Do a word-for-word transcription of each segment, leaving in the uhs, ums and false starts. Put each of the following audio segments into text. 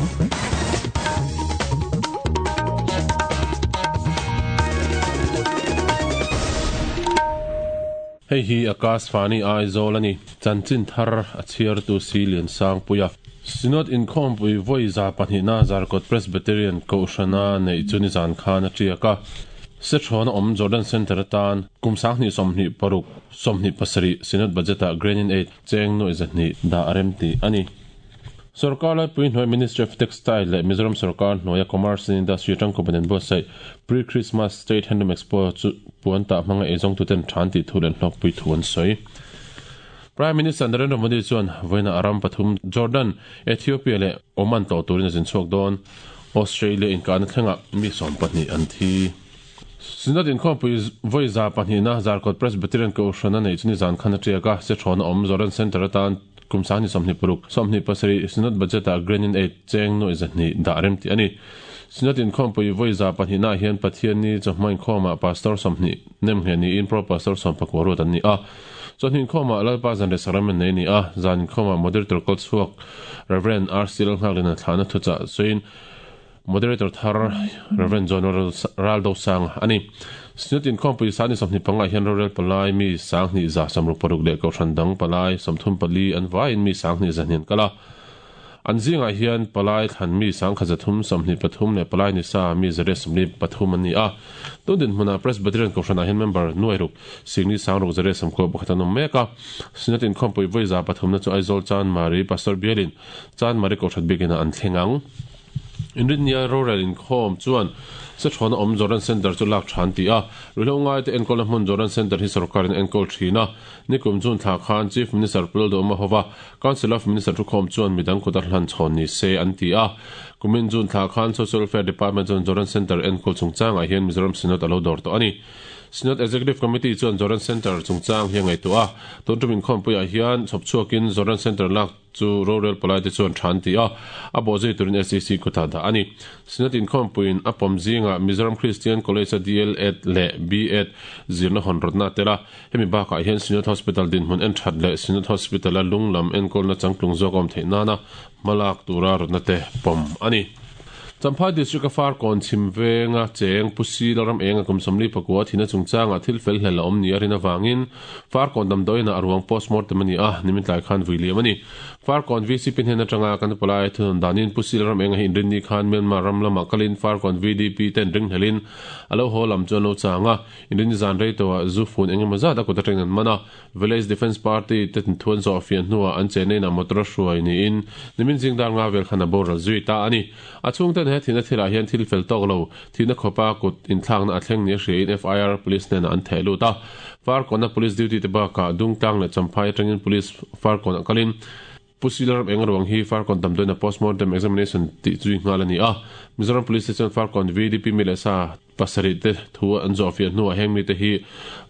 Hei hi Akashvani Aizawl ani chanchin thar a chhiar tu si lian sang puia Synod inkhawmpui vawi za pahnihna Zarkawt Presbyterian Kohhrana neih chu nizan khan a tiak a Sethrawna awm Jordan Centre atan kum sanghnih sawmhnih paruk sawmhnih pasarih Synod budget ah Grant-in Aid cheng nuaih zahnih dah a rem tih a ni. Sorkar laipui hnuai Ministry of Textile leh Mizoram sorkar hnuaia Commerce and Industry atang an buatsaih Pre-Christmas State Handloom Expo chu puan tah hmanga eizawngtuten than tih thu leh hlawkpui thu an sawi. Prime Minister Narendra Modi chuan vawiina a ram pathum Jordan, Ethiopia leh Oman tlawh turin a zin chhuak dawn. Australia inkahna thlengah mi sawm pahnih an thi. Synod inkhawmpui vawi za pahnihna Zarkawt Presbyterian Kohhrana neih chu nizan khan a tiak a, Sethrawna awm Jordan Centre atan kum sanghnih sawmhnih paruk sawmhnih pasarih Synod budget ah Grant-in Aid cheng nuaih zahnih dah rem tih a ni. Synod inkhawmpui vawi za pahnihna ah hian Pathianni chawhma inkhawmah Pastor sawmhnih nem ngheh niin Pro Pastor sawm pakua ruat an ni a. Chawhni inkhawmah Lalpa zan leh Sacrament nei a ni a, zan inkhawmah Moderator kal chhuak Rev. R C Lalnghaklina thlahna thuchah sawiin Moderator thar Rev. John Raldosanga a ni. Synod inkhawmpui sani sawmhnih panga hian rorel palai mi sanghnih za sawmruk paruk leh kohhran dang palai sawmthum pali an vaiin mi sanghnih zahnih an kal a. An zingah hian palai thlan mi sangkhat zathum sawmhnih pathum leh palai ni sa mi zariat sawmli pathum an ni a. Tun dinhmunah Presbyterian kohhranah hian member nuairuk singli sangruk zariat sawmkua pakhat an awm mek a. Synod inkhawmpui vawi za pathumna chu Aizawl Chanmari Pastor Bialin Chanmari kohhran biakina an thleng ang. Inrinnia rorel inkhawm chuan Sethrawna awm Jordan Centre chu lak than ti a, ruihhlo ngaite enkawlna hmun Jordan Centre hi sorkarin enkawl thin a. Nikum June thla khan Chief Minister Pu Lalduhoma hova Council of Minister thukhawm chuan midang kut a hlan chhawn ni se an ti a. Kumin June thla khan Social Welfare Department chuan Jordan Centre enkawl chungchangah hian Mizoram Synod a lo dawr tawh a ni. Synod Executive Committee chuan Jordan Centre chungchang hi a ngaihtuah a, tun tum inkhawmpuiah hian chhawp chhuakin Jordan Centre lak chu rorel palai te chuan than ti a, a bawh zui turin S E C kutah dah a ni. Synod inkhawmpuiin a pawm zingah Mizoram Christian College a D L Ed leh B Ed zirna hawn rawtna a tel a, hemi bakah hian Synod Hospital dinhmun en that leh Synod Hospital a lung lam enkawlna changtlung zawk a awm theih nana hmalak tura rawtna te pawm a ni. Champhai District a Farkawn chhim venga cheng Pu Si Lalram Enga kum sawmli pakua thina chungchangah thil fel hlel a awm ni a rin avangin Farkawn damdawiinah a ruang postmortem a ni a, nimin tlai khan vui liam a ni. Farkawn V C P hnen atanga kan palai thunawn danin Pu Si Lalram Enga hi inrinni khan Myanmar ram lamah kalin Farkawn V D P ten ringhlelin a lo haw lam chu an lo chang a, inrinni zan rei tawhah zu fun engemaw zat a kut atangin an man a. Village Defence Party te thuan zawh fian hnuah an che neinah motor a hruai niin nimin zing dar nga vel khan a boral zui ta a ni. A chhungten he thihna thilah hian thil fel tawk lo, thihna khawpa kut inthlakna a thleng ni a hriain F I R Police hnenah an theh lut a. Farkawna Police duty te bakah Dungtlang leh Champhai atangin Police Farkawnah kalin Pu Silaram eng ruang hi Farkawn damdawiina postmortem examination tih zui nghal a ni a. Mizoram Police te chuan Farkawn V D P mi leh sa pasarih te thu an zawh fiah hnuah heng mite hi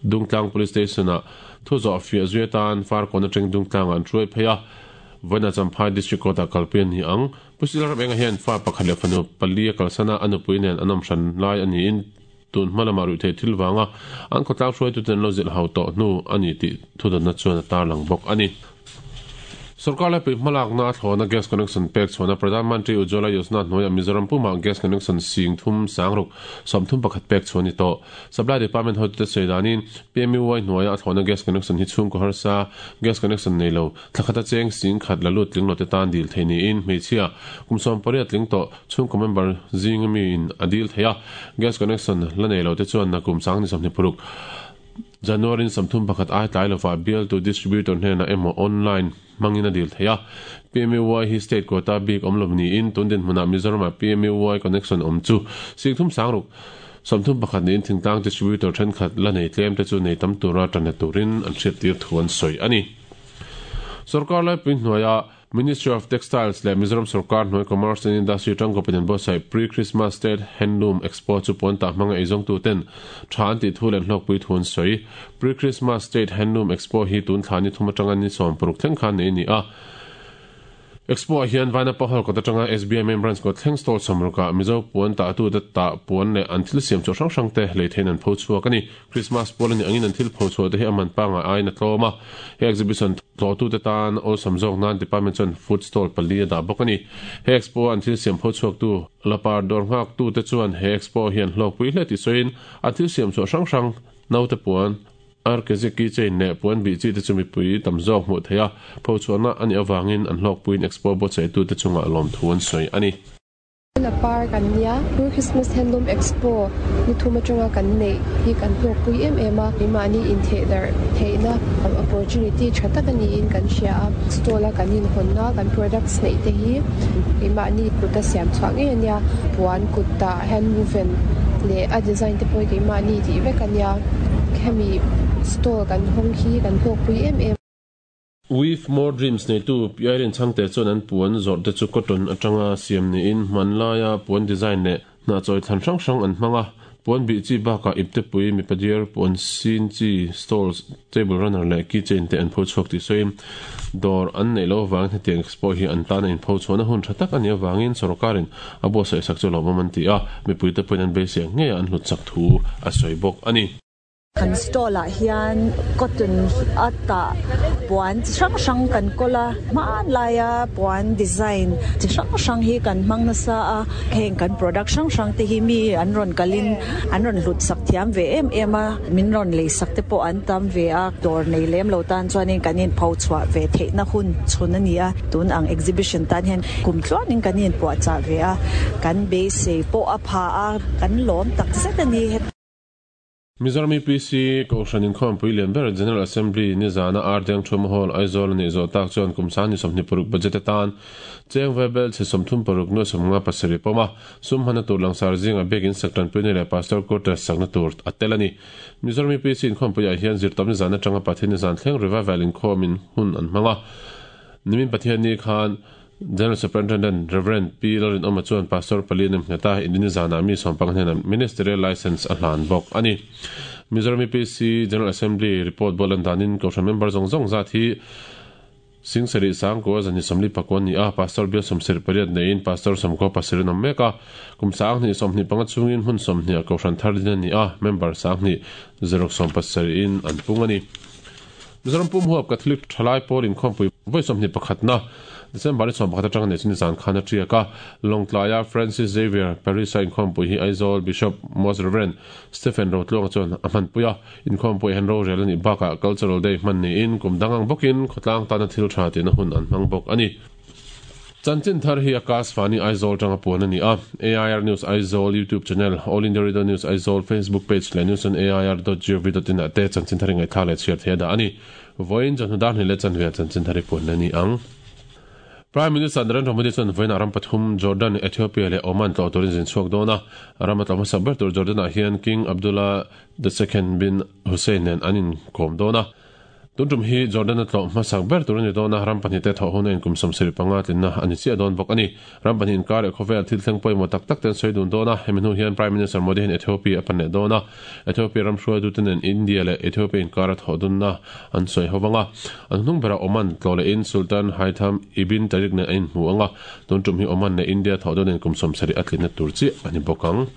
Dungtlang Police Station-ah thu zawh fiah zui atan Farkawn atang Dungtlangah an hruai phei a. Vawiina Champhai District Court-ah kalpui a ni ang. Pu Silaram enga hian fa pakhat leh fanu pali a kalsan a, a nupui nen an awm hran lai a niin tun hma lamah ruih theih thil vanga an khawtlang hruaituten an lo zilh hau tawh hnu a ni tih thudawnna chuan a tarlang bawk a ni. Sorkar laipui hmalakna a thlawna gas connection pek chhuahna Pradhan Mantri Ujjwala Yojana hnuaiah Mizoram pumah gas connection sing thum sangruk sawmthum pakhat pek chhuah a ni tawh. Supply Department hotute sawi danin P M U Y hnuaiah a thlawna gas connection hi chhungkaw harsa gas connection nei lo thlakhata cheng sing khat la lut tling lo te tan dil thei niin hmeichhia kum sawm pariat tling tawh chhungkaw member zinga miin a dil thei a. Gas connection la nei lo te chuan nakum sang ni sawmhnih paruk January sawmthum pakhat ai tlai lova bill to distributor hnenah emaw online hmangin a dil thei a. P M U Y hi state quota bik awm lo niin tun dinhmunah Mizoramah P M U Y connection awm chu singthum sangruk sawmthum pakhat niin thingtlang distributor thenkhat la nei tlem te chu nei tam tura tanna turin an hriat tir thu an sawi a ni. Sorkar laipui hnuaiah Ministry of Textiles leh Mizoram Sarkar hnuai Commerce and Industry tangkawpin an buatsaih Pre-Christmas State Handloom Expo chu puan tah hmanga eizawngtu ten tha an tih thu leh hlawkpui thu an sawi. Pre-Christmas State Handloom Expo hi tun thla ni thum atanga ni sawm paruk thleng khan nei a ni a. Expo ah hian Vainapa Hall kawt atanga S B I Main Branch kawt thleng stall sawmruk ah Mizo puan tah tu te tah puan leh an thil siam chhuah hrang hrang te lei theiin an pho chhuak a ni. Christmas pual a nih angin an thil pho chhuah te hi a man pangngai aiin a tlawm a. He exhibition tlawhtu te tan awlsam zawk nan department chuan food stall pali a dah bawk a ni. He expo an thil siam pho chhuak tu lapar dawr nghak tu te chuan he expo hian hlawkpui hle tih sawiin an thil siam chhuah hrang hrang naute puan R K Z keychain leh puan bih chi te chu mipui tam zawk hmuh theih a, pho chhuahna a nih avangin an hlawkpuiin expo buatsaihtu te chungah lawmthu an sawi a ni. La par kan nia, Pure Christmas Handloom Expo ni thum atanga kan neih hi kan hlawkpui em em a, keimahni intheh darh theihna opportunity tha tak a niin kan hria a, stall a kan inhawnna kan products neih te hi keimahni kut a siam chhuah ngei a nia, puan kut tah hand woven leh a design te pawh hi keimahni tih vek a nia, hemi stall kan hawng hi kan hlawkpui em em. Weave More Dreams neitu Pi Irene Chhangte chuan an puan zawrh te chu cotton atanga siam niin hmanlaia puan design leh hnahchawi thlan hrang hrang an hmang a, puan bih chi bakah iptepui mipa diar puan sin chi stalls, table runner leh keychain te an pho chhuak tih sawiin dawr an neih loh avangin hetiang expo hi an tan a inpho chhuahna hun tha tak a nih avangin sawrkarin a buatsaih sak chu lawmawm an ti a, mipuite pawhin an beisei ang ngeiah an hlut chak thu a sawi bawk a ni. Kan stall ah hian cotton a tah puan chi hrang hrang kan kawl a, hmanlaia puan design chi hrang hrang hi kan hmang nasa a, heng kan product hrang hrang te hi mi an rawn kalin an rawn hlut sak thiam ve em em a, min rawn lei sak te pawh an tam ve a, dawr nei lem lo tan chuanin kan inpho chhuah ve theihna hun chhun a ni a, tun ang exhibition tan hian kum tluanin kan inpuahchah ve a, kan beisei pawh a pha a, kan lawm tak zet a ni. Mizoram U P C Kohhran Inkhawmpui lian ber General Assembly nizana Ardeng Thuma Hall Aizawl a nih zawh tak chuan kum sang ni sawmhnih paruk budget atan cheng vaibel chhe sawmthum paruk nuai sawmnga pasarih pawm a, sum hmana tur langsar zingah biakin sak tanpuina leh Pastor Quarters sakna tur a tel a ni. Mizoram U P C Inkhawmpuiah hian zirtawp nizan atanga Pathian nizan thleng revival inkhawmin hun an hmang a. Nimin Pathian ni khan General Superintendent Reverend P. Lalrin Awma chuan Pastor pali a nem nghet a, Indini zanah mi sawmpang hnenah Ministerial License a hlan bawk a ni. Mizoram U P C General Assembly report bual an danin Kohhran member zawng zawng zat hi Sing sarih sangkua zan hi sawmli pakua a ni a, Pastor bial sawmsarih pariat neiin Pastor sawmkua pasarih an awm mek a, kum sanghnih sawmhnih panga chungin hmun sawmhnih ah Kohhran thar din a ni a, member sanghnih zaruk sawm pasarihin an pung a ni. Mizoram pum huap Catholic thalai pawl inkhawmpui vawi sawmhnih pakhatna December ni sawm pakhat atanga nei chu nizan khan a tiak a, Lawngtlaia Francis Xavier Parish-a inkhawmpui hi Aizawl Bishop Most Reverend Stephen Rotluanga chuan a hmanpui a, inkhawmpui hian rorel a nih bakah Cultural Day hman niin kum dang ang bawkin khawtlang tana thil tha tihna hun an hmang bawk a ni. Chanchin thar hi Akashvani Aizawl tanga puan a ni a, A I R News Aizawl YouTube channel, All India Radio News Aizawl Facebook page leh news on A I R dot gov dot in ah te chanchin thar i ngaihthlak leh chhiar thei a dah a ni. Vawiin chawhnu dar hnih leh chanve ah chanchin thar i puan a ni ang. Prime Minister Narendra Modi chuan vawiinah ram pathum Jordan, Ethiopia leh Oman tlawh turin zin chhuak dawn a, ram a tlawh hmasa ber tur Jordan ah hian King Abdullah the Second bin Hussein nen an inkawm dawn a. Tun tum hi Jordan a tlawh hmasak ber tur a ni dawn a, ram pahnih te thawh huna inkum sawmsarih panga tlinna a ni chiah dawn bawk a ni. Ram pahnih inkar leh khawvel thil thleng pawimawh tak tak te an sawi dun dawn a, hemi hnu hian Prime Minister Modi hian Ethiopia a pan leh dawn a, Ethiopia ram hruaitute nen India leh Ethiopia inkar a thawh dunna an sawi ho vang a. An hnung berah Oman tlawh lehin Sultan Haitham Ibn Tariq nen a inhmu ang a, tun tum hi Oman leh India thawh dun inkum sawmsarih a tlinna tur chiah a ni bawk ang.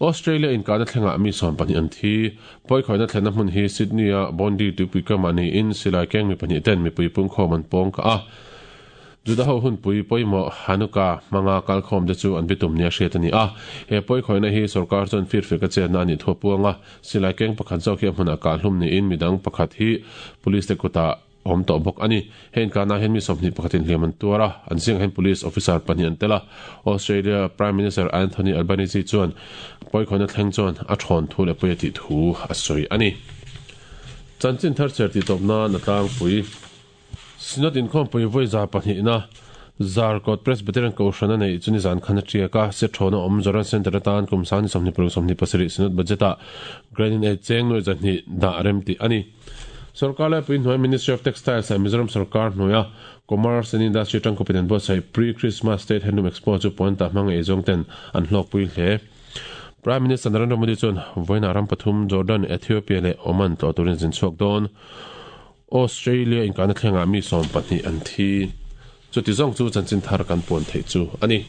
Australia inkahna thlengah mi sawm pahnih an thi. Pawikhawihna thlenna hmun hi Sydney-a Bondi tuipui kamah niin silai keng mi pahnih ten mipui pungkhawm an pawng kah a. Juda ho hunpui pawimawh Hanukkah hmanga kalkhawm te chu an bitum nia hriat a ni a. He pawikhawihna hi sorkar chuan firfek a chetna a nih thu a puang a. Silai keng pakhat zawk hi a hmunah kahhlum niin midang pakhat hi police te kutah awm tawh bawk a ni. Hei inkahna hian mi sawmhnih pakhatin hliam an tuar a, an zingah hian police officer pahnih an tel a. Australia Prime Minister Anthony Albanese chuan pawikhawihna thleng chuan a thawn thu leh pawi a tih thu a sawi a ni. Chanchin thar chher tih tawp nan a tlangpui. Synod inkhawmpui vawi za pahnihna Zarkawt Presbyterian Kohhran a neih chu nizan khan a tiak a, Sethawn a awm Zoran Centre atan kum sang ni sawmhnih paruk sawmhnih pasarih Synod budget-ah Grant in Aid cheng nuai zahnih dah rem tih a ni. Sorkar laipui hnuai Ministry of Textiles ah Mizoram sorkar hnuaia Commerce and Industry tangkawpin an buatsaih Pre-Christmas State Handloom Expo chu puan tah hmang eizawng ten an hlawkpui hle. Prime Minister Narendra Modi chuan vawiinah ram pathum Jordan, Ethiopia leh Oman tlawh turin zin chhuak dawn. Australia inkahna thlengah mi sawm pahnih an thi. Chuti zawng chu chanchin thar kan puan theih chu a ni.